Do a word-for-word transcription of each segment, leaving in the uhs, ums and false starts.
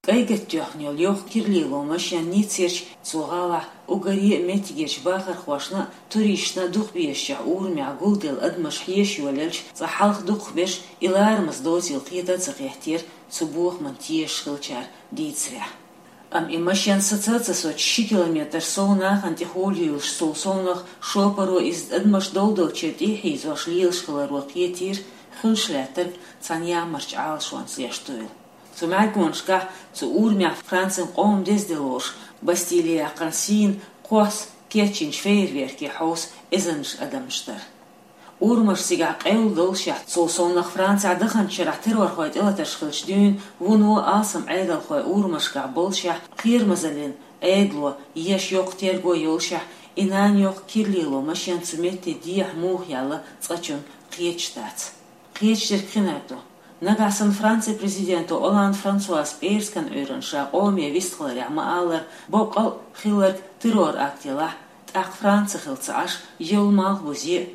Айгатта тоьхна йолу йоккха киралело машен Ниццерчу, цу гӀалахь уггаре а меттигерчу бахархошна а, туристашна а дукха безачех урамехь гулделла адамаш хьеша йолаелча, цкъа хьалха дукхахберш и ларамаза доцийла кхета а ца хеттера цу бохаман тешаш хиллачара дийцарехь. Амма и машен саца а ца соцуш, ши километр сов нахана тӀехула юьйлуш, цул совнах шопаро иза адамаш долдолччуьра тӀе а хьийзош лелаш хиларо кхетийра, хуьлуш лаьттарг цхьана ямарчу Ӏалашонца лештийла. Цу мӀаьргонашкахь, цу урамехь Францин къоман деза де лоруш, Бастилия кхана сийна кхосса кечйинчу фейерверкийн хьовса эзарнаш адамаш дара. Урамаш цигахь къевлла доллушехь, цул совнах Францехь даханчу шарахь террорхойн тӀелатарш хиллачу дуьйна вуно алсам Ӏедалхойн урамашкахь боллушехь, кхерамазаллин Ӏедало еш йоккха терго йоллушехь, и нана йоккха киралело машен цу метте дехьа муха яьлла, цкъачунна кхеташ дац. Кхеташ дерг кхин а ду. Нагахь санна Францин президенто Олланд Франсуас пӀераскан Ӏуьйранна ша къоме вистхиларехь ма-аллара, боккъал а хилларг террор-акт елахь, тӀаккха Франци хилла ца Ӏаш, йолу Малхбузе а,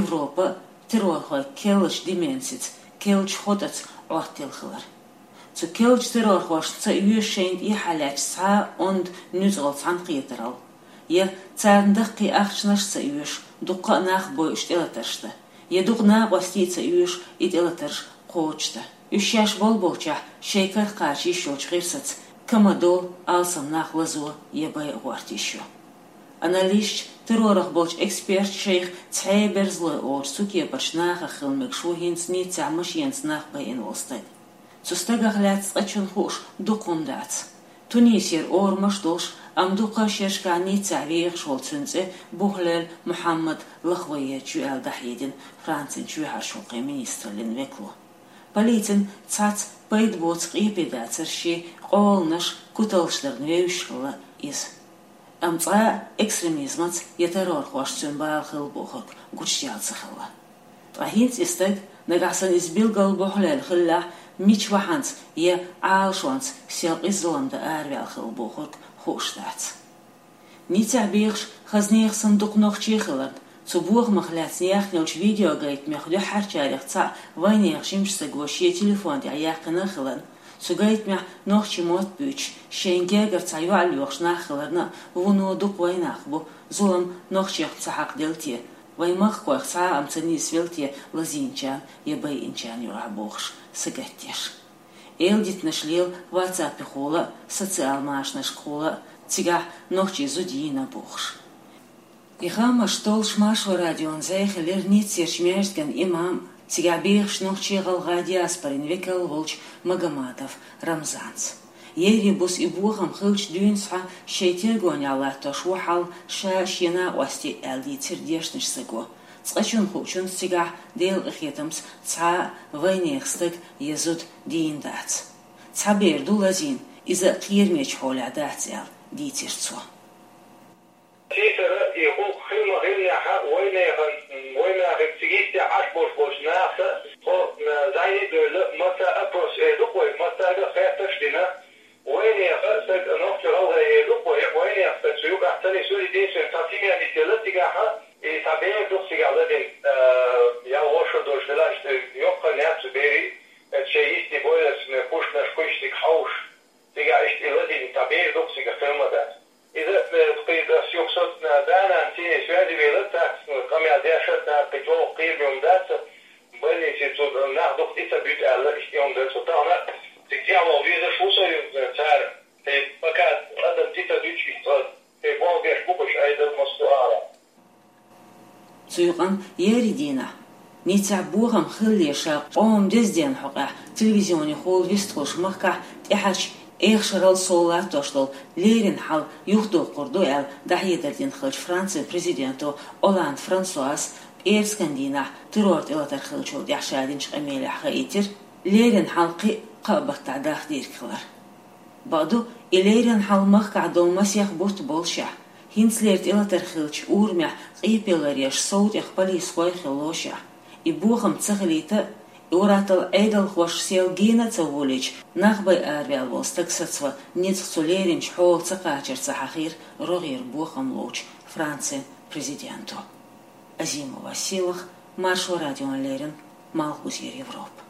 Европа а террорхойн керлачу дименсица, керлачу хотӀаца Ӏоттийла хилар. Цу керлачу террорхошна ца оьшу шайна тӀехьа лаьтташ цхьа а онда, нуьцкъала цхьаьнакхетаралла, я царна даккхий ахчанаш а ца оьшу дуккха а нах бойуш тӀелатарш дан, я дукха накъостий а ца оьшу и тӀелатарш кхочушдан. Уьш шаьш болболчохь шайн кара кхача йиш йолчу гӀирсаца, ка ма-доллу, алсам нах лазо я байа гӀорта йиш ю. Анализчу, террорах болчу эксперташ шайх цхьа а берзалой олучу цу кепарчу нахах хила мегаш ву хӀинца Ниццехь машенаца нах байина волу стаг. Цу стагах лаьцна цкъачунна хууш дукха хӀума дац. Тунисера орамаш а долуш, амма дукха шерашкахь Ниццехь вехаш волу цуьнан цӀе Бухлель Мухьаммад Лахвоерчу ю аьлла дӀахьедина Францин чоьхьарчу гӀуллакхийн министраллин векало. Полицина цхьацца пайда боцу къепе дацаршший, къоланаш, куталш дарна вевзаш хилла иза. Амма цкъа а экстремизмаца я террорхошца цуьнан бала хилла бохург гучудаьлла ца хилла. Ткъа хӀинца и стаг, нагахь санна иза билггал Бухлель хиллехь, мича вахьанца я Ӏалашонца сел къиза зулам дан араваьлла хилла бохург хууш дац. Ниццехь бехаш хазанех санна дукха нохчий хиларна, цу бохамах лаьцна яьхна йолчу видеогайтамех дуьххьарчарех цхьаъ вайнехан жимачу стага шен телефон тӀехь яьккхина а хиларна, цу гайтамехь нохчийн мотт буьйцуш, шайна гергара цхьа йоӀ лоьхуш нах хиларна а, вуно дукха вайнах бу, зулам нохчех ца хьакхаделла те, вайн махкахойх цхьа а ма ца нисвелла те лазийначарна я байинчарна юкъахь бохуш, сагатдеш. Эладитанаш лела WhatsApp-ехула а, социал машанашкахула а, цигахь нохчийн зуда йийна бохуш. И хаамаш толлуш Маршо радион зӀе хилира Ниццерчу маьждиган имам, цигахь бехаш нохчийн-гӀалгӀайн диаспорин векал волчу Магомадов Рамзанца. Ерриг буса и бохам хиллачу дуьйна схьа шайн тергонехь латтош ву хьал ша а, шен накъостий а, аьлла дийцира дешначу стага. Цкъачунна хуучунца цигахь Делан къинхетамца цхьа а вайнехан стаг я зуда дийна дац. Цхьа бер ду лазийна, иза а кхерамечу хьолехь дац аьлла, дийцира цо. Сийсара и гӀуллакх хила ма-хиллинехь а, вайнехан, вайнахе цига йистехь Ӏаш болуш болчу нахаца тхо, м, зӀене а девлла, массара опрос эр ду-кх вай, массаьрга а хеттарш а дина, вайнехан стаг нохчо-гӀалгӀай эр ду-кх вай, вайнехан стаг цу юкъахь ца нисвелла, единственное, цхьа семья нисъелла цигахь, и цхьа бер ду-кх цигахь ладина, а, ял вошур долуш делахь, иштта йоккха а яц цу берийн, а, шайн йисте бойлаза, м, куьшнаш кхуьйсу цига хьовсуш. Цигахь иштта и ладийна цхьа бер ду-кх цигахь, хила ма дац. Иза, э, кхин ас юха со, э, да-нана цӀийне связи велира, цаьрца, э, къамел деш а, цара кхин чӀогӀа кхераме хӀума дац, больнице цу нах дукха тӀе ца буьту аьлла, иштта и хӀума дара цо. Тахана цига тӀехь ваха везаш ву со, э, цара, э, пока адам тӀе ца дуьтуш, иштта, э, болх беш бу-кх уьш, Ӏедал, Москва, ара. Цу юкъанна еарин дийнахь, Ниццехь бохам хиллера ша къоман деза денна хьокъехь телевизионехула вистхуьлуш махкахь тӀаьхьарчу эха шарал сов латтош долу леррина хьал юхадоккхур ду аьлла, дӀахьедар дина хиллачу Францин президенто Олланд Франсуас пӀераскан дийнахь террор тӀелатар хиллачул тӀаьхьа ша динчу къамелехь хаийтира, леррина хьал кхин а кхаа баттахь даха дийриг хилар. Бакъду, и леррина хьал махкахь долу масех бутт боллушехь, хӀинцалера тӀелатар хиллачу урамехь къепе ларъеш сов тӀех полисхой хилалошехь, и бохам ца хилийта а, и ур-атталла Ӏедалхоша сел гена а ца волийча, нах бай араваьлла волу стаг сацаван ницкъ цу леринчу хьола ца кхачар ца хьахийра рогӀера бохам ловчу Францин президенто. Азимова Сийлаха, Маршо радиона леррина, Малхбузера Европа.